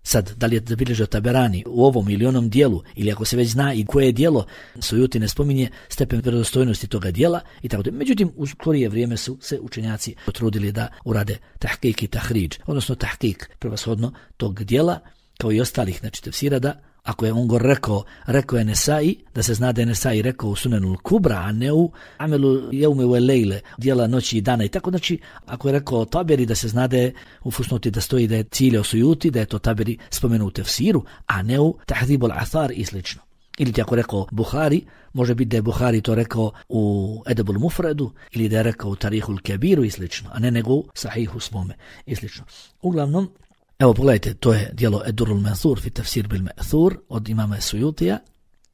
Sad, da li je zabilježio Taberani u ovom ili onom dijelu, ili ako se već zna i koje je dijelo, Sujuti ne spominje stepen vjerodostojnosti toga dijela i tako da. Međutim, u skorije vrijeme su se učenjaci potrudili da urade tahkik i tahriđ, odnosno tahkik prevashodno tog dijela, kao i ostalih, znači tefsira, da ako je on go rekao, rekao je Nesai, da se zna da je Nesai rekao u Sunenul Kubra, a ne u Amelu Jeume u Elejle, dijela noći i dana i tako, znači ako je rekao Taberi, da se zna da je u Fusnoti da stoji da je ciljao Sujuti, da je to Taberi spomenuo u tefsiru, a ne u Tahdibul Athar i slično. Ili ti ako rekao Buhari, može biti da je Buhari to rekao u Edebul Mufredu, ili da je rekao u Tarihul Kebiru i slično, a ne nego u Sahihu svome i slično. Uglavnom, evo pogledajte, to je djelo Edurul Mansur fi tafsir bil Ma'thur od imama Sujutija,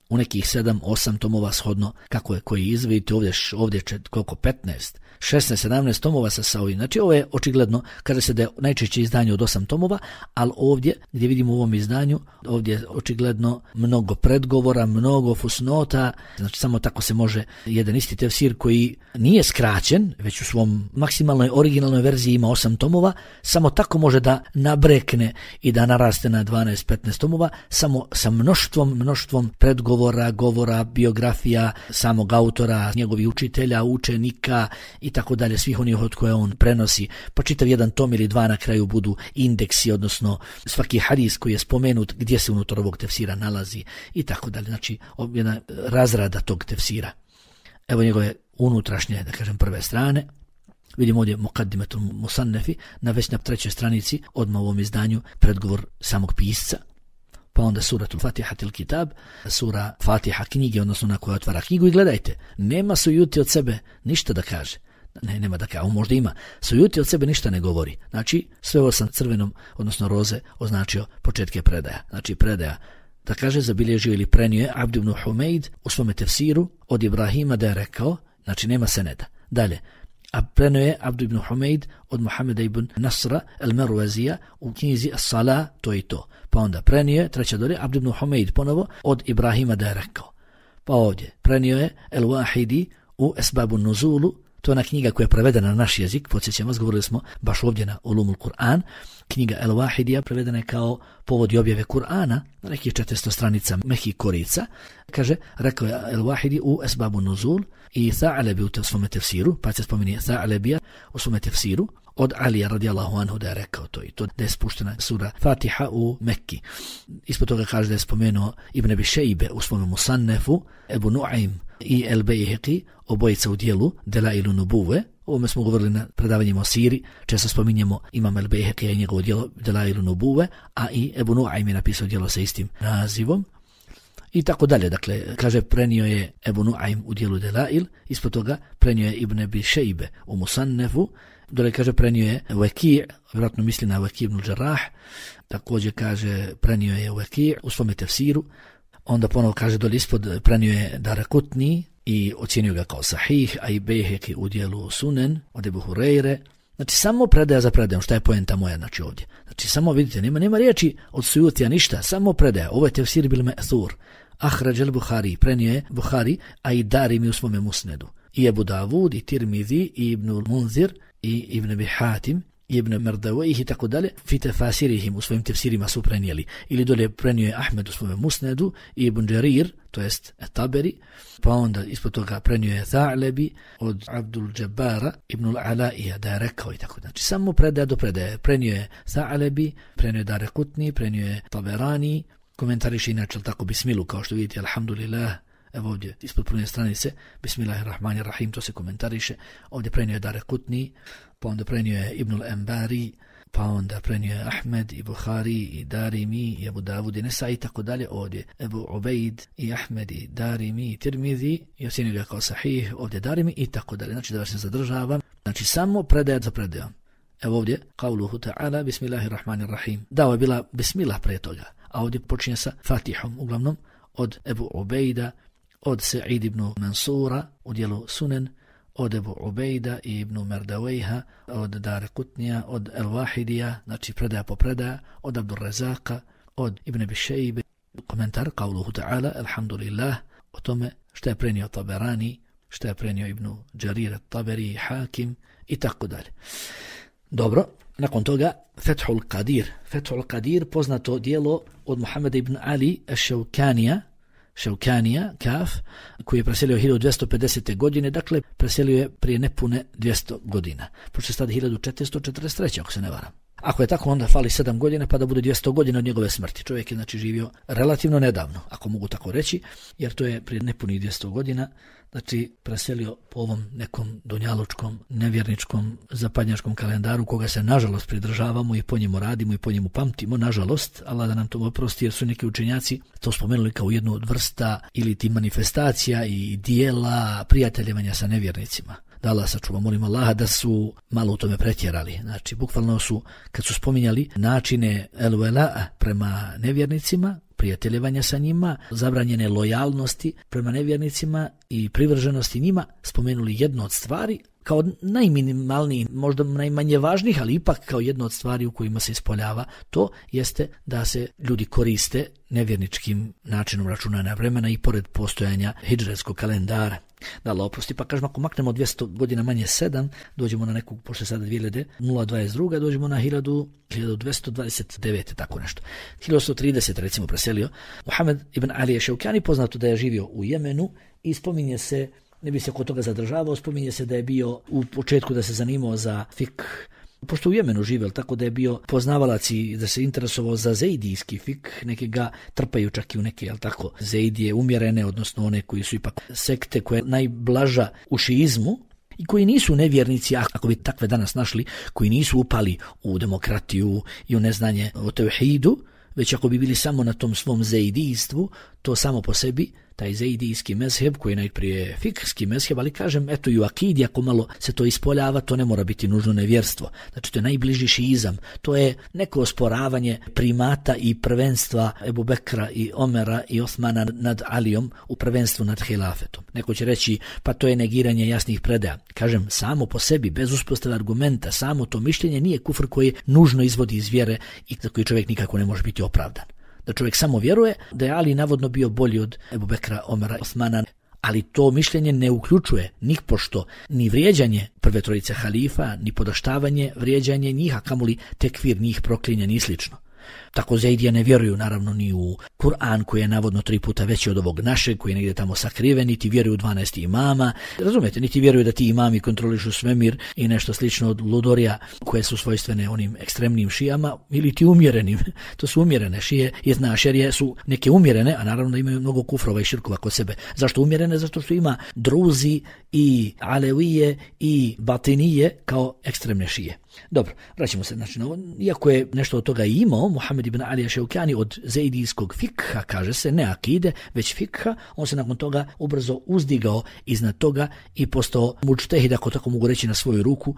u nekih sedam, osam tomova shodno kako je koji izvidite, ovdje, ovdje će koliko petnaest, šesnaest, sedamnaest tomova sa Saudi. Znači ovo je očigledno, kaže se da je najčešće izdanje od osam tomova, ali ovdje gdje vidimo u ovom izdanju, ovdje je očigledno mnogo predgovora, mnogo fusnota, znači samo tako se može jedan isti tefsir koji nije skraćen, već u svom maksimalnoj originalnoj verziji ima osam tomova, samo tako može da nabrekne i da naraste na dvanaest petnaest tomova, samo sa mnoštvom, mnoštvom predgovora, govora, biografija samog autora, njegovih učitelja, učenika i tako dalje, svih onih od koje on prenosi, pa čitav jedan tom ili dva na kraju budu indeksi, odnosno svaki hadis koji je spomenut, gdje se unutar ovog tefsira nalazi i tako dalje, znači jedna razrada tog tefsira. Evo njegove unutrašnje, da kažem, prve strane. Vidimo ovdje Muqaddimatul Musannefi, na već na trećoj stranici, odmah u ovom izdanju, predgovor samog pisca. Pa onda suratul Fatihatil Kitab, sura Fatiha knjige, odnosno na koja otvara knjigu, i gledajte, nema Sujuti od sebe ništa da kaže. Ne, nema da kaže, on možda ima. Sujuti od sebe ništa ne govori. Znači, sve ovo sam crvenom, odnosno roze, označio početke predaja. Znači, predaja, da kaže, zabilježio ili prenio je Abd ibn Humeid u svome tefsiru od Ibrahima da je rekao, znači nema seneda. Dalje, a prenio je Abd ibn Humeid od Muhameda ibn Nasra al-Marwazija u knjizi As-Salah, to i to. Pa onda prenio je, treća dolje, Abd ibn Humeid ponovo od Ibrahima da je rekao. Pa ovdje prenio je El-Wahidi u Esbabu Nuzulu, to je ona knjiga koja je prevedena na naš jezik, podsjećam vas, govorili smo baš ovdje na Ulumul Kur'an, knjiga El-Wahidija prevedena je kao povod i objave Kur'ana, na nekih četiristo stranica mehkih korica, kaže, rekao je El-Wahidi u Esbabu Nuzul i Tha'alebi u svome tefsiru, pa se spominje Tha'alebija u svome tefsiru, od Alija radijallahu anhu da je rekao to i to, da je spuštena sura Fatiha u Mekki. Ispod toga kaže da je spomenuo Ibn Abi Šejbe u svome Musannefu, Ebu Nu'aym i El Bejheqi, obojica u dijelu Delailu Nubuve. Ovome smo govorili na predavanjima o siri, često spominjemo Imam El Bejheqi i njegovo dijelo Delailu Nubuve, a i Ebu Nu'aym je napisao dijelo sa istim nazivom. I tako dalje, dakle, kaže, prenio je Ebu Nu'aym u dijelu Delail, ispod toga prenio je Ibn Abi Šejbe u Musannefu, dole kaže prenio je Waki', vjerojatno misli na Waki' ibn Jarrah, također kaže prenio je Waki' u svome tefsiru, onda ponovo kaže dole ispod prenio je Darakutni i ocjenio ga kao sahih, a i Bejheqi u dijelu Sunen od Ebu Hureyre. Znači samo predaja za predajom, šta je poenta moja, znači ovdje. Znači samo vidite, nema, nema riječi od Sujutija ništa, samo predaja. Ovo je tefsir bil Ma'thur. Ahraj al-Buhari, prenio je Buhari, a i Darimi u svome Musnedu. I Ebu Davud, i Tirmidhi, i Ibnul Munzir, i Ibn Abi Hatim, ibn Merdawejh i tako dalje, fi tefasirihim, u svojim tefsirima su prenijeli. Ili dolje prenio je Ahmed u svome Musnedu, i Ibn Jarir, to jest Taberi, pa onda ispod toga prenio je Tha'lebi od Abdul Džabara ibn al-Alaija da je rekao i tako. Znači samo predaje do predaje. Prenio je Tha'lebi, prenio je Darekutni, prenio je Taberani, komentariše inače tako bismilu, kao što vidite, alhamdulillah. Evo ovdje, ispod prve stranice, Bismillahirrahmanirrahim, to se komentariše. Ovdje prenio je Darekutni, pa onda prenio je Ibn al-Ambari, pa onda prenio je Ahmed i Buhari i Darimi i Abu Davud i Nesa i tako dalje. Ovdje Ebu Ubejd i Ahmed i Darimi i Tirmidhi i ocjenio ga kao sahih, ovdje Darimi i tako dalje. Znači da vas ne zadržavam. Znači samo predajat za predajom. Evo ovdje, Qavluhu ta'ala, Bismillahirrahmanirrahim. Dao je bila Bismillah prije toga, a ovdje počinje sa Fatihom, uglavnom od Ebu Ubejda, od Sa'id ibn Mansura u dijelu Sunen, od Ebu Ubejda i ibn Merdawejha, od Darekutnija, od El-Wahidija, znači predaja po predaja, od Abdul Razaka, od Ibn Bišejbe. Komentar, Qavluhu ta'ala, alhamdulillah, o tome što je prenio Taberani, što je prenio Ibn Jarir Taberi, Hakim i tako dalje. Dobro, nakon toga Fethul Qadir. Fethul Qadir, poznato dijelo od Muhammeda ibn Ali Ševkanija, Ševkanija, Kaf, koji je preselio hiljadu dvjesto pedesete. godine, dakle preselio je prije nepune dvjesto godina. Pošto je sad hiljadu četiristo četrdeset treće. ako se ne varam. Ako je tako, onda fali sedam godina pa da bude dvjesto godina od njegove smrti. Čovjek je znači živio relativno nedavno, ako mogu tako reći, jer to je prije nepunih dvjesto godina, znači preselio po ovom nekom dunjalučkom, nevjerničkom, zapadnjačkom kalendaru koga se nažalost pridržavamo i po njemu radimo i po njemu pamtimo, nažalost, Allah da nam to oprosti, jer su neki učenjaci to spomenuli kao jednu od vrsta ili ti manifestacija i dijela prijateljevanja sa nevjernicima. Da Allah sačuva, molim Allaha da su malo u tome pretjerali. Znači, bukvalno su, kad su spominjali načine el-vela prema nevjernicima, prijateljevanja sa njima, zabranjene lojalnosti prema nevjernicima i privrženosti njima, spomenuli jednu od stvari kao najminimalniji, možda najmanje važnih, ali ipak kao jedno od stvari u kojima se ispoljava, to jeste da se ljudi koriste nevjerničkim načinom računanja vremena i pored postojanja hidžretskog kalendara. Da Allah oprosti, pa kažemo, ako maknemo dvjesto godina manje sedam, dođemo na neku, pošto je sada dvije hiljade dvadeset druga. dođemo na hiljadu dvjesto dvadeset devete. tako nešto. hiljadu sto trideset. recimo preselio. Muhammed ibn Ali Ševkani, poznato da je živio u Jemenu i spominje se, ne bi se kod toga zadržavao, spominje se da je bio u početku da se zanimao za fik, pošto u Jemenu živel, tako da je bio poznavalac i da se interesovao za zeidijski fik, neki ga trpaju čak i u neke, jel tako, zeidije umjerene, odnosno one koji su ipak sekte koja je najblaža u šiizmu i koji nisu nevjernici, ako bi takve danas našli, koji nisu upali u demokratiju i u neznanje o tevhidu, već ako bi bili samo na tom svom zeidijstvu, to samo po sebi, taj zeidijski mezheb koji je najprije fikski mezheb, ali kažem, eto i u akidi, ako malo se to ispoljava, to ne mora biti nužno nevjerstvo. Znači to je najbliži šiizam, to je neko osporavanje primata i prvenstva Ebu Bekra i Omera i Osmana nad Alijom u prvenstvu nad hilafetom. Neko će reći, pa to je negiranje jasnih predaja. Kažem, samo po sebi, bez uspostave argumenta, samo to mišljenje nije kufr koji nužno izvodi iz vjere i za koji čovjek nikako ne može biti opravdan. Da čovjek samo vjeruje da je Ali navodno bio bolji od Ebu Bekra, Omera, Osmana, ali to mišljenje ne uključuje nipošto ni vrijeđanje prve trojice halifa, ni podaštavanje, vrijeđanje njih, a kamoli tekvir njih, proklinja, ni slično. Tako zeidije ne vjeruju naravno ni u Kur'an koji je navodno tri puta veći od ovog našeg, koji je negdje tamo sakriven, niti vjeruju u dvanaest imama, razumijete, niti vjeruju da ti imami kontrolišu svemir i nešto slično od ludorija koje su svojstvene onim ekstremnim šijama ili ti umjerenim. To su umjerene šije, jedna šerije su neke umjerene, a naravno da imaju mnogo kufrova i širkova kod sebe. Zašto umjerene? Zato što ima druzi i alevije i batinije kao ekstremne šije. Dobro, vraćamo se znači na ovo. Iako je nešto od toga imao Muhammed ibn Ali Ševkani od zeidijskog fikha, kaže se, ne akide, već fikha, on se nakon toga ubrzo uzdigao iznad toga i postao mučtehid, ako tako mogu reći, na svoju ruku,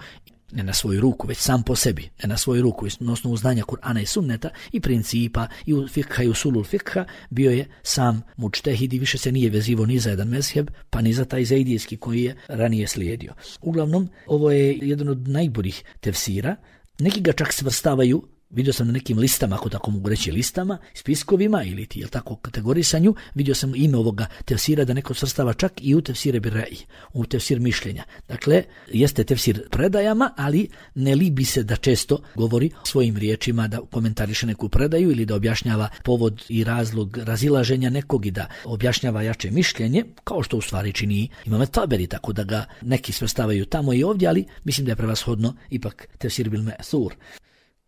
ne na svoju ruku, već sam po sebi, ne na svoju ruku, na osnovu znanja Kur'ana i sunneta i principa i u fikha i usulul fikha, bio je sam mučtehid i više se nije vezivo ni za jedan mezheb, pa ni za taj zeidijski koji je ranije slijedio. Uglavnom, ovo je jedan od najboljih tefsira, neki ga čak svrstavaju Vidio sam na nekim listama, ako tako mogu reći listama, spiskovima ili ti, jel tako, kategorisanju, vidio sam ime ovoga tefsira da neko svrstava čak i u tefsire birra'i, u tefsir mišljenja. Dakle, jeste tefsir predajama, ali ne libi se da često govori svojim riječima, da komentariše neku predaju ili da objašnjava povod i razlog razilaženja nekog i da objašnjava jače mišljenje, kao što u stvari čini Imam Taberi, tako da ga neki svrstavaju tamo i ovdje, ali mislim da je prevashodno ipak tefsir bil me'thur.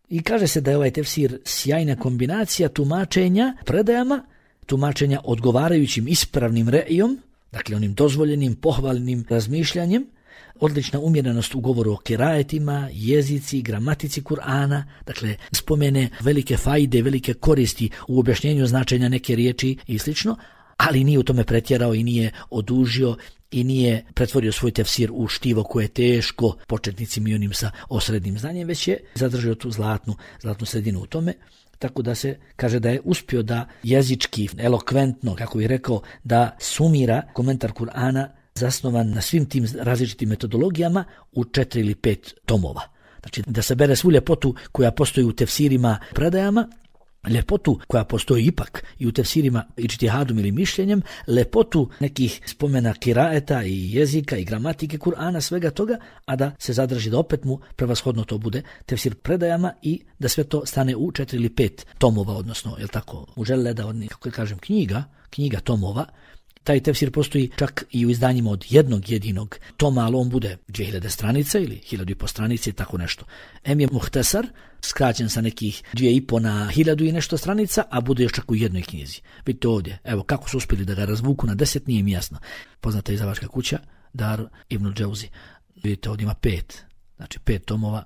I kaže se da je ovaj tefsir sjajna kombinacija tumačenja predajama, tumačenja odgovarajućim ispravnim re'ijom, dakle onim dozvoljenim, pohvalnim razmišljanjem, odlična umjerenost u govoru o kirajetima, jezici, gramatici Kur'ana, dakle spomene velike fajde, velike koristi u objašnjenju značenja neke riječi i slično, ali nije u tome pretjerao i nije odužio i nije pretvorio svoj tefsir u štivo koje je teško početnicima i onim sa osrednjim znanjem, već je zadržao tu zlatnu, zlatnu sredinu u tome. Tako da se kaže da je uspio da jezički, elokventno, kako bih rekao, da sumira komentar Kur'ana zasnovan na svim tim različitim metodologijama u četiri ili pet tomova. Znači da se bere svu ljepotu koja postoji u tefsirima predajama, ljepotu koja postoji ipak i u tefsirima iđtihadom ili mišljenjem, lepotu nekih spomena kiraeta i jezika i gramatike Kur'ana, svega toga, a da se zadrži da opet mu prevashodno to bude tefsir predajama i da sve to stane u četiri ili pet tomova, odnosno, jel tako, muželleda, od kako kažem, knjiga, knjiga tomova. Taj tefsir postoji čak i u izdanjima od jednog jedinog toma, ali on bude dvije hiljade stranica ili hiljadu i po stranice i tako nešto. Em je muhtesar, skraćen sa nekih dvije i po na hiljadu i nešto stranica, a bude još čak u jednoj knjizi. Vidite ovdje, evo kako su uspjeli da ga razvuku na deset, nije mi jasno. Poznata izdavačka kuća, Dar ibn Džauzi. Vidite ovdje ima pet, znači pet tomova.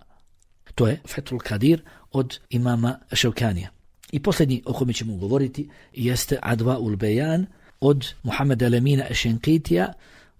To je Fethul Kadir od imama Ševkanija. I posljednji o kome ćemo govoriti jeste Adva ul Bejan od Muhameda Lemina Šenkitija,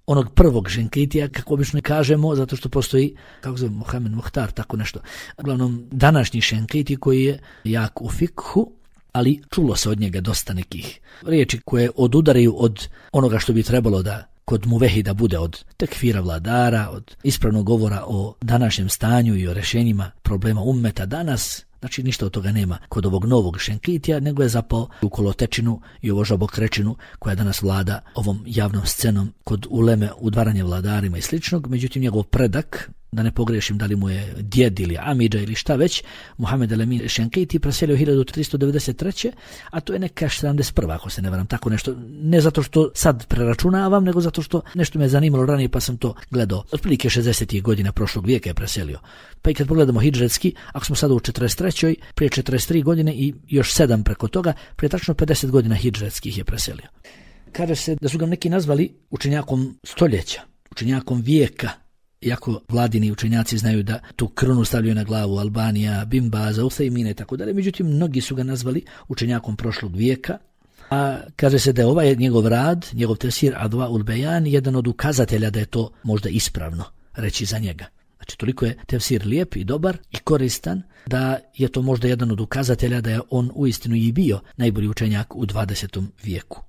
onog prvog Šenkitija, kako obično kažemo, zato što postoji, kako zove, Mohamed Muhtar, tako nešto. Uglavnom, današnji Šenkiti koji je jak u fikhu, ali čulo se od njega dosta nekih riječi koje odudaraju od onoga što bi trebalo da kod muvehida bude, od tekfira vladara, od ispravnog govora o današnjem stanju i o rješenjima problema ummeta danas. Znači ništa od toga nema kod ovog novog Šenkitija, nego je zapao u kolotečinu i ovo žabokrečinu koja danas vlada ovom javnom scenom kod uleme, udvaranja vladarima i sličnog. Međutim, njegov predak, da ne pogrešim da li mu je djed ili amidža ili šta već, Muhammed el-Emin Šenkiti preselio hiljadu tristo devedeset treće. a to je neka sedamdeset prva ako se ne varam, tako nešto. Ne zato što sad preračunavam, nego zato što nešto me zanimalo ranije pa sam to gledao. Otprilike šezdesetih godina prošlog vijeka je preselio. Pa i kad pogledamo hidžretski, ako smo sada u četrdeset trećoj, prije četrdeset tri godine i još sedam preko toga, prije tačno pedeset godina hidžretskih je preselio. Kaže se da su ga neki nazvali učenjakom stoljeća, učenjakom vijeka, iako vladini učenjaci znaju da tu krunu stavljaju na glavu Albanija, Bin Baza, Uthejmina i tako dalje, međutim mnogi su ga nazvali učenjakom prošlog vijeka, a kaže se da je ovaj njegov rad, njegov tefsir Adva ul Bejan, jedan od ukazatelja da je to možda ispravno reći za njega. Znači toliko je tefsir lijep i dobar i koristan da je to možda jedan od ukazatelja da je on uistinu i bio najbolji učenjak u dvadesetom vijeku.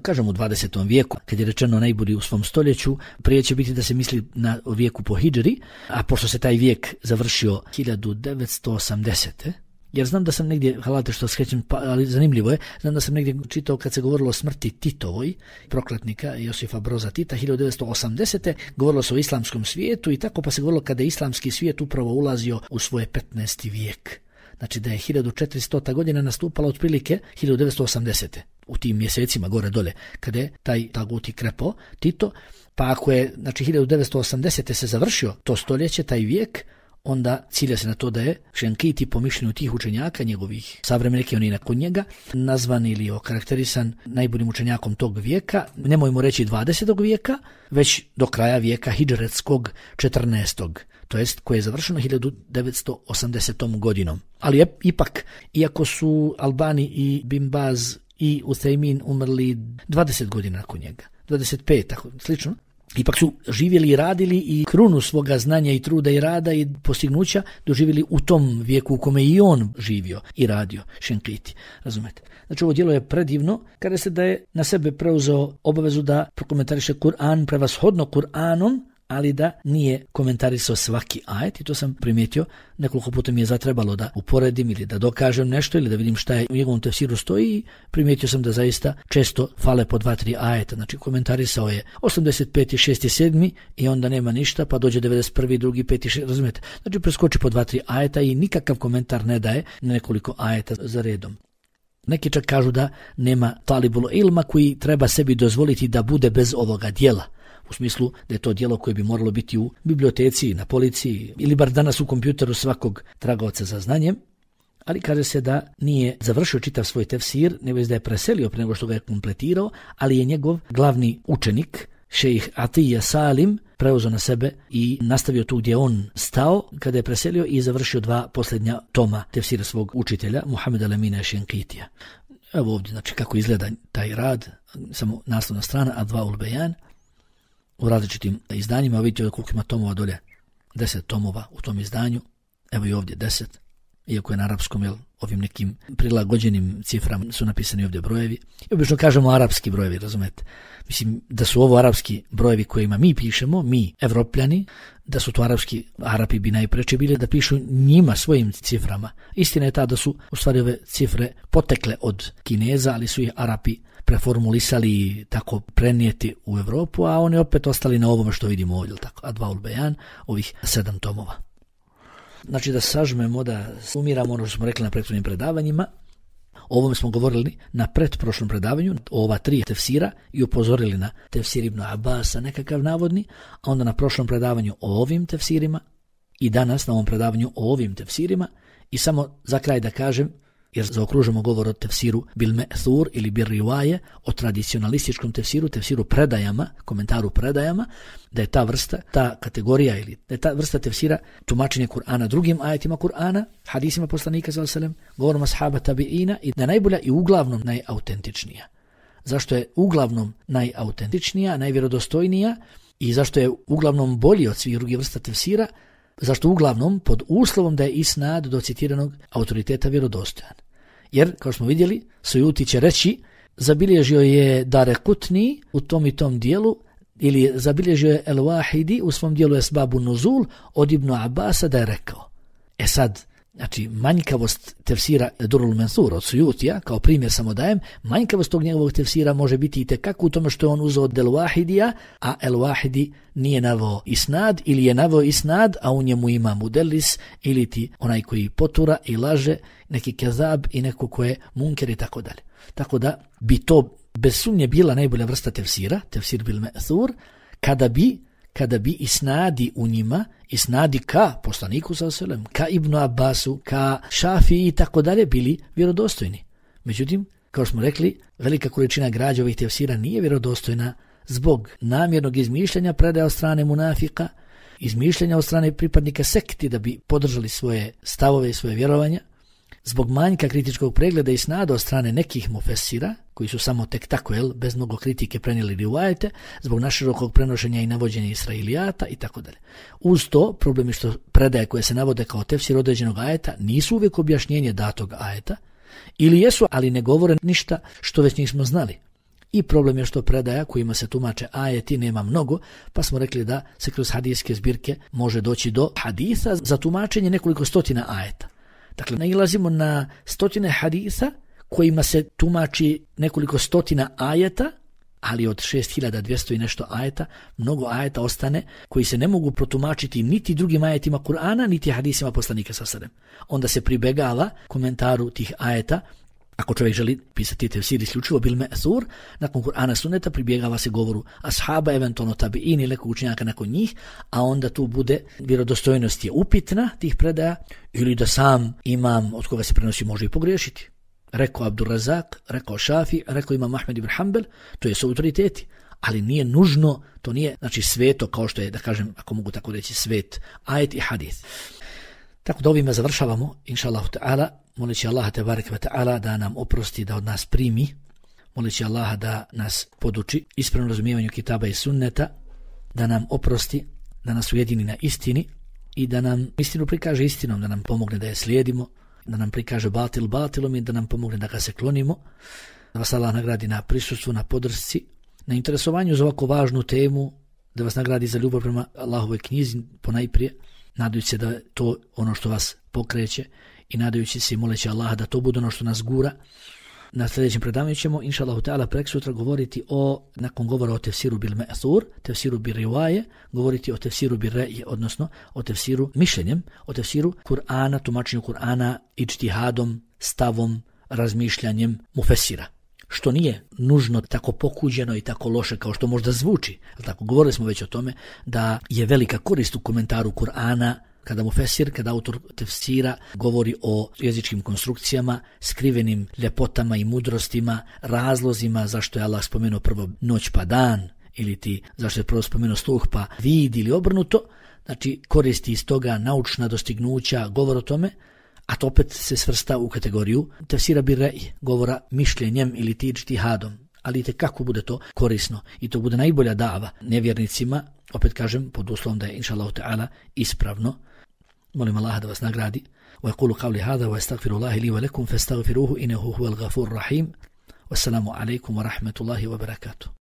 Kažem u dvadesetom vijeku, kad je rečeno najbolji u svom stoljeću, prije će biti da se misli na vijeku po hidžri, a pošto se taj vijek završio hiljadu devetsto osamdesete. Jer znam da sam negdje, halate što skrećem, pa, ali zanimljivo je, znam da sam negdje čitao kad se govorilo o smrti Titovoj, prokletnika Josifa Broza Tita, hiljadu devetsto osamdesete. govorilo se o islamskom svijetu i tako pa se govorilo kada je islamski svijet upravo ulazio u svoje petnaesti vijek. Znači da je hiljadu četiristota godina nastupala otprilike hiljadu devetsto osamdesete. u tim mjesecima gore dole, kada je taj taguti krepao Tito, pa ako je, znači, hiljadu devetsto osamdesete se završio to stoljeće, taj vijek, onda cilja se na to da je Šenkiti po mišljenju tih učenjaka, njegovih savremenika i oni nakon njega, nazvan ili okarakterisan najboljim učenjakom tog vijeka, nemojmo reći dvadesetog vijeka, već do kraja vijeka hidžretskog četrnaestog to jest koje je završeno hiljadu devetsto osamdesetom godinom. Ali je, ipak, iako su Albani i Bin Baz i Uthejmin umrli dvadeset godina nakon njega, dvadeset pet, tako slično, ipak su živjeli i radili i krunu svoga znanja i truda i rada i postignuća doživjeli u tom vijeku u kome i on živio i radio, Šenkiti, razumete. Znači ovo djelo je predivno kada se da je na sebe preuzeo obavezu da prokomentariše Kur'an prevashodno Kur'anom, ali da nije komentarisao svaki ajet i to sam primijetio. Nekoliko puta mi je zatrebalo da uporedim ili da dokažem nešto ili da vidim šta je u njegovom tefsiru stoji i primijetio sam da zaista često fale po dva, tri ajeta. Znači komentarisao je osamdeset peti, šesti, sedmi i onda nema ništa pa dođe devedeset prvi, drugi, peti, šesti, razumijete? Znači preskoči po dva, tri ajeta i nikakav komentar ne daje na nekoliko ajeta za redom. Neki čak kažu da nema talibul ilma koji treba sebi dozvoliti da bude bez ovoga dijela. U smislu da je to djelo koje bi moralo biti u biblioteci, na policiji ili bar danas u kompjuteru svakog tragaoca za znanjem, ali kaže se da nije završio čitav svoj tefsir, nego da je preselio pre nego što ga je kompletirao, ali je njegov glavni učenik, šejh Atija Salim, preuzeo na sebe i nastavio tu gdje on stao kada je preselio i završio dva posljednja toma tefsira svog učitelja, Muhameda Lemina Šenkitija. Evo ovdje, znači kako izgleda taj rad, samo naslovna strana, Advaul Bejan, u različitim izdanjima, vidite koliko ima tomova dolje, deset tomova u tom izdanju, evo i ovdje deset, iako je na arapskom, jel, ovim nekim prilagođenim ciframa su napisani ovdje brojevi. I obično kažemo arapski brojevi, razumete? Mislim da su ovo arapski brojevi kojima mi pišemo, mi Evropljani, da su to arapski, Arapi bi najpreče bili da pišu njima svojim ciframa. Istina je ta da su u stvari ove cifre potekle od Kineza, ali su ih Arapi preformulisali i tako prenijeti u Evropu, a oni opet ostali na ovome što vidimo ovdje, tako, Advaul Bejan, ovih sedam tomova. Znači da sažmemo, da sumiramo ono što smo rekli na prethodnim predavanjima. O ovome smo govorili na pretprošlom predavanju, o ova tri tefsira i upozorili na tefsir Ibn Abasa, nekakav navodni, a onda na prošlom predavanju o ovim tefsirima i danas na ovom predavanju o ovim tefsirima. I samo za kraj da kažem, jer zaokružimo govor o tefsiru bil me'thur ili bil rivaje, o tradicionalističkom tefsiru, tefsiru predajama, komentaru predajama, da je ta vrsta, ta kategorija ili da je ta vrsta tefsira tumačenje Kur'ana drugim ajetima Kur'ana, hadisima poslanika sallallahu alejhi ve sellem, govorom ashaba tabiina i da najbolja i uglavnom najautentičnija. Zašto je uglavnom najautentičnija, najvjerodostojnija i zašto je uglavnom bolji od svih drugih vrsta tefsira? Zašto uglavnom pod uslovom da je isnad do citiranog autoriteta vjerodostojan. Jer, kao smo vidjeli, Sujuti će reći, zabilježio je Darekutni u tom i tom dijelu, ili zabilježio je El-Wahidi u svom dijelu Esbabu Nuzul od Ibn Abasa da je rekao. E sad, znači manjkavost tefsira Durul Mansur od Sujutija, kao primjer samo dajem, manjkavost tog njegovog tefsira može biti i tekako u tome što je on uzeo od El-Wahidija, a El-Wahidi nije naveo isnad ili je naveo isnad, a u njemu ima mudelis ili ti onaj koji potura i laže, neki kezab i neko ko je munker i tako dalje. Tako da bi to bez sumnje bila najbolja vrsta tefsira, tefsir bil me'thur, kada bi kada bi isnadi u njima, isnadi ka poslaniku sallallahu alejhi ve sellem, ka Ibnu Abbasu, ka Šafiji i tako dalje bili vjerodostojni. Međutim, kao smo rekli, velika količina građa ovih tefsira nije vjerodostojna zbog namjernog izmišljanja predaja od strane munafika, izmišljanja od strane pripadnika sekti da bi podržali svoje stavove i svoje vjerovanja, zbog manjka kritičkog pregleda i snada od strane nekih mufesira, koji su samo tek tako, jel, bez mnogo kritike prenijeli rivajete, zbog naširokog prenošenja i navođenja Israilijata i tako dalje. Uz to, problem je što predaje koje se navode kao tefsir određenog ajeta nisu uvijek objašnjenje datog ajeta, ili jesu, ali ne govore ništa što već nismo znali. I problem je što predaja kojima se tumače ajeti nema mnogo, pa smo rekli da se kroz hadijske zbirke može doći do hadisa za tumačenje nekoliko stotina ajeta. Dakle, nailazimo na stotine hadisa kojima se tumači nekoliko stotina ajeta, ali od šest hiljada dvjesto i nešto ajeta, mnogo ajeta ostane koji se ne mogu protumačiti niti drugim ajetima Kur'ana, niti hadisima poslanika sallallahu alejhi ve sellem. Onda se pribegava komentaru tih ajeta. Ako čovjek želi pisati tefsir isključivo bil me'thur, nakon Kur'ana sunneta pribjegava se govoru ashaba, eventualno tabi'in ili nekog učenjaka nakon njih, a onda tu bude vjerodostojnost je upitna tih predaja ili da sam imam od koga se prenosi može i pogriješiti. Rekao Abdurrazak, rekao Šafi, rekao imam Ahmed ibn Hanbel, to je su autoriteti, ali nije nužno, to nije znači sveto kao što je, da kažem, ako mogu tako reći, svet, ajet i hadis. Tako da ovime završavamo, inša Allahu ta'ala, moleći Allaha tebareke ve ta'ala da nam oprosti, da od nas primi, moleći Allaha da nas poduči ispravnom razumijevanju kitaba i sunneta, da nam oprosti, da nas ujedini na istini i da nam istinu prikaže istinom, da nam pomogne da je slijedimo, da nam prikaže batil batilom i da nam pomogne da ga se klonimo, da vas Allah nagradi na prisustvu, na podršci, na interesovanju za ovako važnu temu, da vas nagradi za ljubav prema Allahovoj knjizi ponajprije, nadajući se da to ono što vas pokreće i nadajući se i moleći Allaha da to bude ono što nas gura. Na sljedećem predavanju ćemo, inša Allahu ta'ala, preksutra govoriti o, nakon govora o tefsiru bil me'thur, tefsiru bil rivaje, govoriti o tefsiru bil re'je, odnosno o tefsiru mišljenjem, o tefsiru Kur'ana, tumačenju Kur'ana, ijtihadom, stavom, razmišljanjem mufesira. Što nije nužno tako pokuđeno i tako loše kao što možda zvuči. Tako, govorili smo već o tome da je velika korist u komentaru Kur'ana kada mufesir, kada autor tefsira govori o jezičkim konstrukcijama, skrivenim ljepotama i mudrostima, razlozima zašto je Allah spomenuo prvo noć pa dan, ili ti zašto je prvo spomenuo sluh pa vid ili obrnuto. Znači, koristi iz toga naučna dostignuća, govor o tome, a to opet se svrsta u kategoriju tefsira bil re'j, govora mišljenjem ili ti ijtihadom. Ali te kako bude to korisno i to bude najbolja dava nevjernicima, opet kažem, pod uslovom da je inša Allahu ta'ala ispravno. Molim Allaha da vas nagradi. Wa yaqulu qawli hadha wa astaghfirullaha li wa lakum fastaghfiruhu innahu huwal ghafurur rahim. Wassalamu alaykum wa rahmatullahi wa barakatuh.